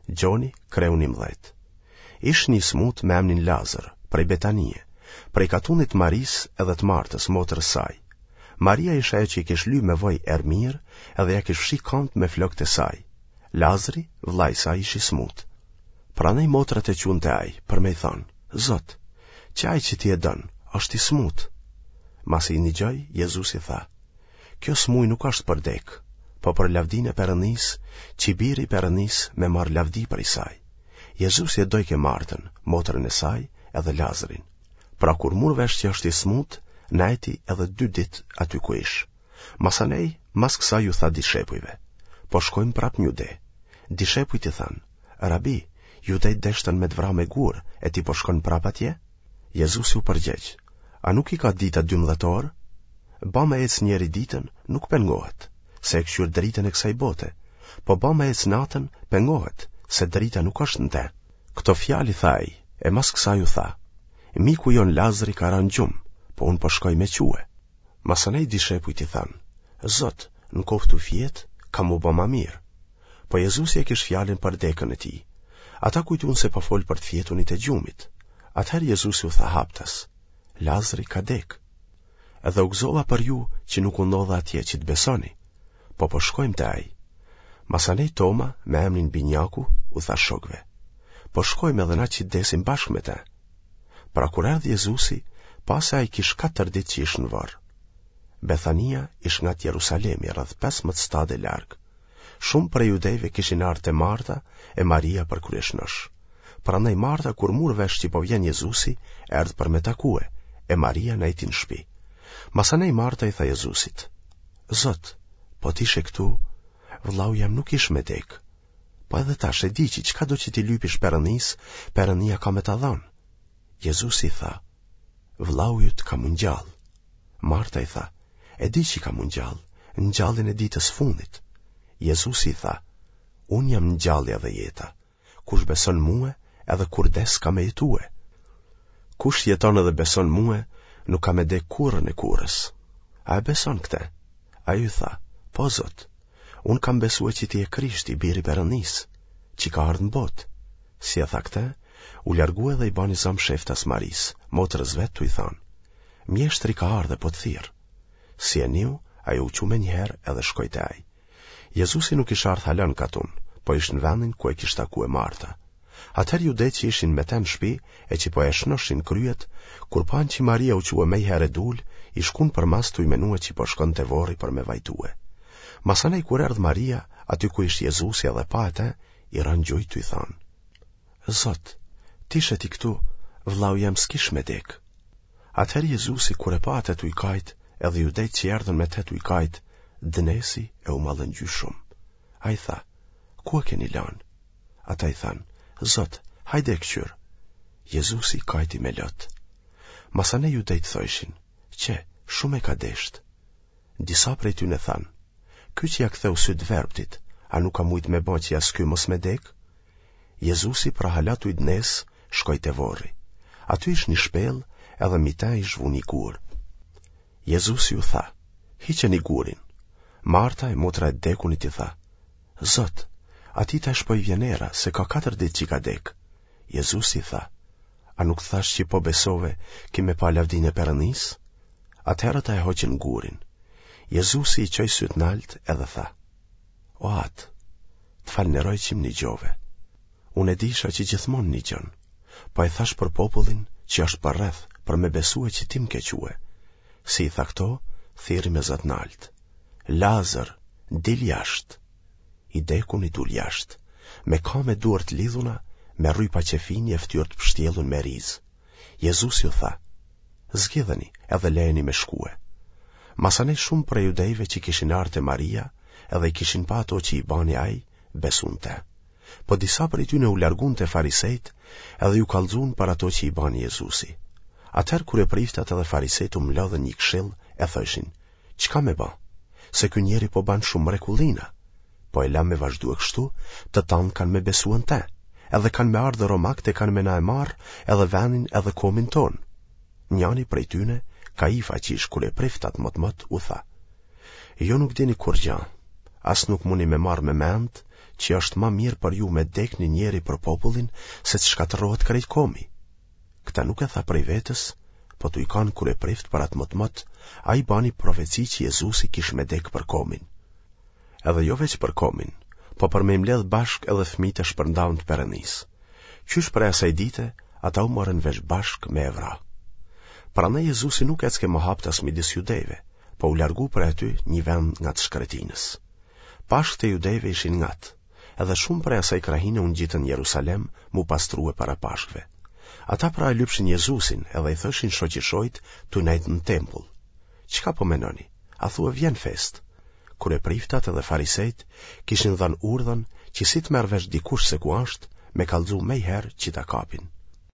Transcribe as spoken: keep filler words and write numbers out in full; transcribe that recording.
Gjoni, kreu njëmbëdhjetë. Ish një i smutë me emnin Lazër, prej Betanie, prej katunit të Marisë edhe të Martës, motrës saj. Maria ish ajo që i kish ly me vaj erëmirë edhe ia kish fshi kamët me flokët e saj. Lazri, vëllai i saj ish i smutë. Prandaj motrat e çunë te ai, për me i thanë, Zot, qe ai që ti e don, është i smutë. Masi i nigjoi, Jezusi tha, Kjo smuj nuk është për dekë, po për lavdinë e Perëndisë, që Biri i Perëndisë me marrë lavdi prej saj. Jezusi e dojke Martën, motrën e saj, edhe Lazrin. Pra kur mur vesh që është i smutë, nejti edhe dy ditë aty ku ish. Masanej, mas kësaj ju tha dishepujve, po shkojmë prapë në Jude. Dishepujt i thanë, Rabi, judejt deshtën me të vra me gurë, e ti po shkon prapë atje? Jezusi u përgjegj, A nuk i ka dita dymbëdhjetë orë? Ba me ecë njeri ditën, nuk pengohet, se e këqyr dritën e kësaj bote, po ba me ecë natën, pengohet, se drita nuk është në te. Këto fjalë i tha ai, e mas kësaj u tha, Miku jonë Lazri ka ra në gjumë, po unë po shkoj me çue. Masanej dishepujt i thanë, Zot, në koftë tu fjetë, ka m'u ba ma mirë. Po Jezusi e kish fjalën për dekën e tij. Ata kujtun se po fol për të fjetunit e gjumit. Atëherë Jezusi u tha haptas, Lazri ka dekë. Edhe u gëzova për ju që nuk u ndodha atje që të besoni, po po shkojmë te ai. Masanej Toma, me emrin Binjaku, u tha shokëve, po shkojmë edhe na që të desim bashkë me te. Pra kur erdhi Jezusi, pa se ai kish katër ditë që ish në vorr. Bethania ish ngat Jerusalemi, rreth pesëmbëdhjetë stade larg. Shumë prej judejve kishin ardhë te Marta e Maria për kryeshnosh. Prandaj Marta kur mur vesh që po vjen Jezusi, erdh për me takue, e Maria nejti në shpi. Masanej Marta i tha Jezusit, Zot, po t'ishe këtu, vëllau jem nuk ish me dekë. Po edhe tash e di që çkado që t'i lypish Perëndisë, Perëndia ka me ta dhanë. Jezusi i tha, vëllau yt ka m'u ngjallë. Marta i tha, e di që ka m'u ngjallë, në ngjalljen e ditës fundit. Jezusi i tha, unë jam ngjallja dhe jeta. Kush beson mue, edhe kur des ka me jetue. Kush jeton edhe beson mue, nuk ka me dek kurrën e kurrës. A e beson këte? Ajo i tha, po Zot, unë kam besue që ti je Krishti, biri i Perëndisë, që ka ardhë në botë. Si e tha këte, u largue dhe i bani za msheftas Marisë, motrës vet tu i thanë, mjeshtri ka ardhë e po të thirr. Si e niu, ajo u çu menjëherë edhe shkoi te ai. Jezusi nuk ish ardhë hala në katun, po ish në vendin ku e kish takue Marta. Atëherë judejt që ishin me te në shpi e që po e shnoshin kryet, kur panë që Maria u çue mejherë e dul, i shkun përmas tuj menue që po shkon te vorri për me vajtue. Masanej kur erdh Maria, aty ku ish Jezusi edhe pa atë, i ra në gjunjë tuj thanë, Zot, t'ishe ti këtu, vllau jem s'kish me dekë. Atëherë Jezusi kur e pa atë tuj kajt, edhe judejt që erdhën me te tuj kajt, dënesi e u mallëngjy shumë. Ai tha, ku e keni lanë? Ata i thanë, Zot, hajde e këqyr. Jezusi kajti me lot. Masanej judejt thojshin, qe, shumë e ka deshtë. Disa prej tyne thanë, ky që ia ktheu sytë verbtit, a nuk ka mujtë me ba që as ky mos me dekë? Jezusi pra hala tuj dënesë, shkoi te vorri. Aty ish një shpellë edhe mi te ish vu një gur. Jezusi u tha, hiqeni gurin. Marta e motra e dekunit i tha, Zot, atij tash po i vjen era, se ka katër ditë që ka dekë. Jezusi i tha, a nuk thashë që po besove, ki me pa lavdinë e Perëndisë? Atëherë ata e hoqën gurin. Jezusi i çoi sytë nalt edhe tha, O Atë, të falënderoj që më nigjove. Unë e disha që gjithmonë nigjon, po e thashë për popullin që është përreth, për me besue që ti më ke çue. Si i tha këto, thirri me zë të naltë. Lazër, dil jashtë. I dekuni dul jashtë, me kamë e duar të lidhuna, me rrypa qefini e fytyrë të pështjellun me rizë. Jezusi u tha, zgjidheni edhe lejeni me shkue. Masanej shumë prej judejve që kishin ardhë te Maria, edhe i kishin pa ato që i bani ai, besun te. Po disa prej tyne u largun te farisejt, edhe ju kallzun për ato që i bani Jezusi. Atëherë kryepriftat edhe farisejt u mlodhën një këshill e thojshin, çka me ba? Se ky njeri po ban shumë mrekullina. Po e lam me vazhdue kështu, të tanë kanë me besue në te, edhe kanë me ardhë romakët e kanë me na e marrë edhe venin edhe komin tonë. Njani prej tyne, Kaifa që ish kryeprift atë motmot, u tha, ju nuk dini kurgja, as nuk muni me marrë me mend që është ma mirë për ju me dek një njeri për popullin se të shkatërrohet krejt komi. Këta nuk e tha prej vetes, po tuj kanë kryeprift për atë motmot, ai bani profeci që Jezusi kish me dek për komin. Edhe jo veç për komin, po për me i mbledh bashkë edhe fëmijët e shpërndaun të Perëndisë. Qysh prej asaj dite, ata u morën vesh bashkë me e vra. Prandaj Jezusi nuk ecke më haptas midis judejve, po u largu prej aty një vend ngat shkretinës. Pashkët e judejve ishin ngat, edhe shumë prej asaj krahine u ngjitën në Jerusalem m'u pastrue para Pashkëve. Ata pra e lypshin Jezusin edhe i thoshin shoqishojt tu nejt në tempull. Çka po menoni? A thue vjen festë? Kryepriftat edhe farisejt kishin dhënë urdhën që si të merr vesh dikush se ku është, me kallxu mejherë që ta kapin.